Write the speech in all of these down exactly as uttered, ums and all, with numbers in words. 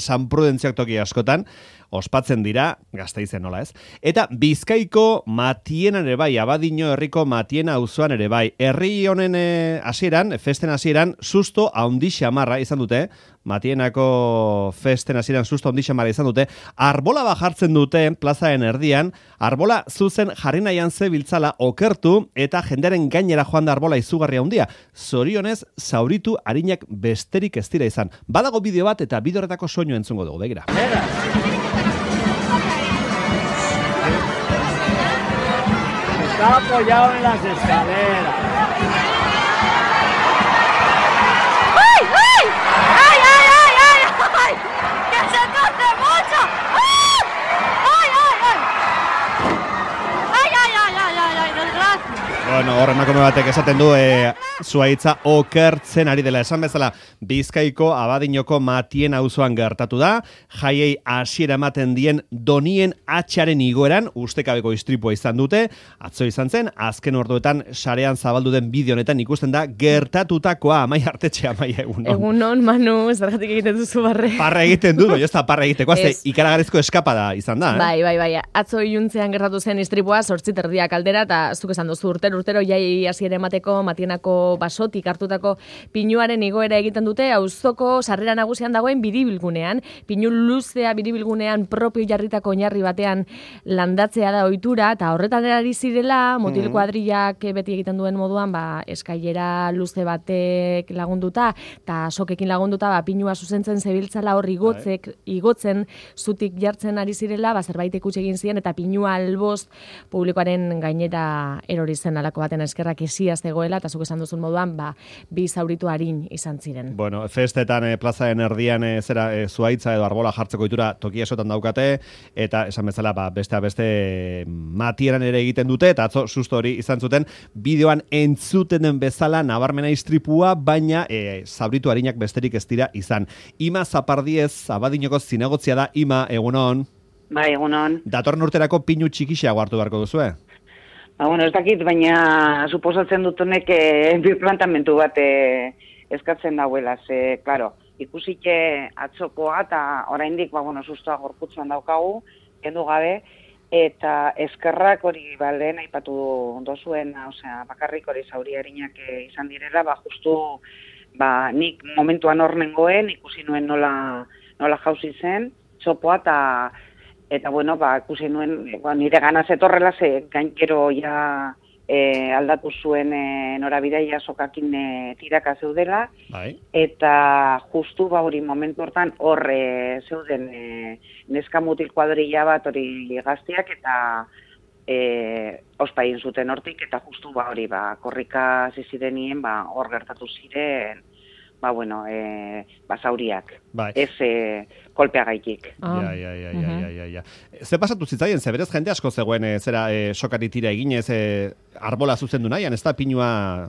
San Prudentziak toki askotan, ospatzen dira, Gasteizen nola ez. Eta Bizkaiko Matienan ere bai, Abadiño herriko Matiena auzoan ere bai. Herri honen hasieran, festen hasieran, susto handi xamarra izan dute, Matienako festen hasieran susto handi xamarra izan dute, arbola bajartzen dute plazaren erdian, arbola zuzen jarri nahian zebiltzala okertu eta jendearen gainera joan da arbola izugarria handia. Zorionez, zauritu arinak besterik ez dira izan. Badago bideo bat eta bideo horretako soinu entzungo dugu, begira. Está apoyado en las escaleras. ¡Ay, ay! ¡Ay, ay, ay, ay! ay! ¡Que se corte mucho! ¡Ah! ¡Ay, ay, ay! ¡Ay, ay, ay, ay, ay, ay! ¡Desgracia! Bueno, horren emakume batek esaten du e, zuhaitza okertzen ari dela. Esan bezala, Bizkaiko Abadiñoko Matien auzoan gertatu da, jaiei hasiera ematen dien donien atxaren igoeran, ustekabeko istripua izan dute, atzo izan zen, azken orduetan sarean zabaldu den bideo honetan ikusten da, gertatutakoa, Amai Artetxe, Amai egunon. Egunon, Manu, zergatik egiten duzu barre. Parra egiten du, jo ez da parra egiteko, azte ikaragarrizko eskapada izan da. Eh? Bai, bai, bai, atzo iluntzean gertatu zen istripua, zortzit erdiak aldera, eta zuk esan duzu urtero, urtero, jai hasiera emateko Matienako basotik hartutako pinuaren igoera egiten dute, auzoko sarrera nagusian dagoen biribilgunean, pinu luzea biribilgunean propio jarritako oinarri batean landatzea da ohitura, eta horretan ari zirela, mutil kuadrillak beti egiten duen moduan, ba, eskailera luze batek lagunduta, eta sokekin lagunduta, ba, pinua zuzentzen zebiltzala hor igotzek, igotzen, zutik jartzen ari zirela, ba, zerbait ikusi egin ziren, eta pinua albost publikoaren gainera erori zen alako baten eskerrak esiaz zegoela, eta zuk esan duzun moduan, ba, bi zauritu arin izan ziren. Bueno, festetan e, plazaren erdian e, zera e, zuhaitza edo arbola jartzeko ohitura toki esotan daukate, eta esan bezala, ba, bestea beste e, Matieran ere egiten dute, eta atzo susto hori izan zuten, bideoan entzuten den bezala nabarmena istripua, baina e, zauritu arinak besterik ez dira izan. Ima Zapardiez, Abadiñoko zinegotzia da, Ima, egunon. Bai, egunon. Datorren urterako pinu txikixiago hartu beharko duzu, eh? Ba, bueno, ez dakit, baina suposatzen dutunek e, birplantamentu bat e, eskatzen dauela, ze, klaro, ikusike atzokoa eta oraindik, ba, bueno, sustoa gorputzuan daukagu, kendu gabe, eta eskerrak hori, ba, lehen aipatu dozuen, osea, bakarrik hori zauri harinak e, izan direla, ba, justu, ba, nik momentuan hor nengoen, ikusi nuen nola, nola jauzi zen, txopoa, eta Eta, bueno, ba, ikusi nuen, ba, nire gana zetorrela, ze gainkero ja e, aldatu zuen e, norabidea sokakin e, tiraka zeudela. Bai. Eta justu, ba, hori momentu hortan, hor e, zeuden e, neska mutil kuadrilla bat hori gazteak, eta e, ospa egin zuten hortik, eta justu, ba, hori, ba, korrika zizirenien, ba, hor gertatu ziren, ba, bueno, e, basauriak. Bai. Ez e, kolpeagaitik. Ah. Ja, ja, ja, ja, ja, ja. Ze pasatu zitzaien, ze berez jende asko zegoen, e, zera, e, sokari tira eginez, e, arbola zuzendu nahian, ez da pinua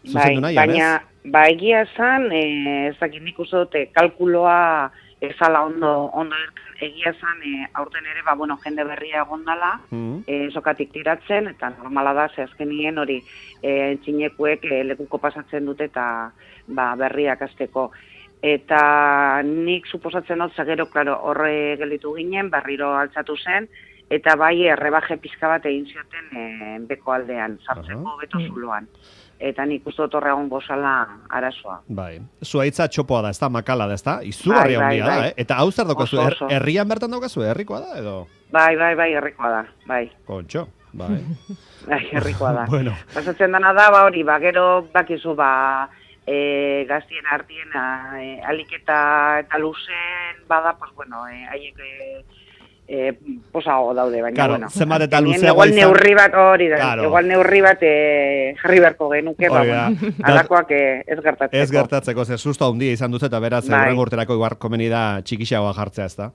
zuzendu bai, nahian, baina, ez? Ba, egia esan, e, ez dakit nik uste dute, kalkuloa ezala ondo, ondo egia esan, e, aurten ere, ba, bueno, jende berria egondala, mm. e, sokatik tiratzen, eta normala da, ze azkenien hori, e, txinekuek e, lekuko pasatzen dute, eta ba, berriak azteko. Eta nik suposatzen dut, zagero, klaro, horre gelditu ginen, berriro altzatu zen, eta bai errebaje pizka bat egin zioten e, beko aldean, sartzeko uh-huh. beto zuloan. Eta nik uste dut horregon gozala arazoa. Bai, zuhaitza txopoa da, ez da, makala da, ez da? Izugarria bai, hondia bai, da, bai. eh? Eta hau zer daukazu, er, herrian bertan daukazu, herrikoa da, edo? Bai, bai, bai, herrikoa da, bai. Kontxo, bai. Bai, herrikoa da. Bueno. Pasatzen dana da, ba hori, ba, gero bakizu, ba, E, gaztien artien e, aliketa eta luzen bada, pues bueno, e, haiek e, e, posago daude, baina claro, bueno. Zenbat eta luzeagoa igual izan... neurri bat hori da, claro. Igual neurri bat e, jarri beharko genuke, ba, bueno, alakoak e, ez gertatzeko. Ez gertatzeko, ze susto handia izan duz eta beraz, bai. Horren urterako igual komeni da txikixagoa jartzea, ez da?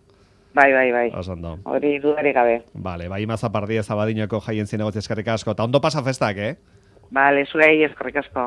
Bai, bai, bai. Osondo. Hori dudarik gabe. Vale, bai, Ima Zapardiez Abadiñoko jaien zinegotzia eskerrik asko. Ta ondo pasa festak, eh? Vale, zuei eskerrik asko.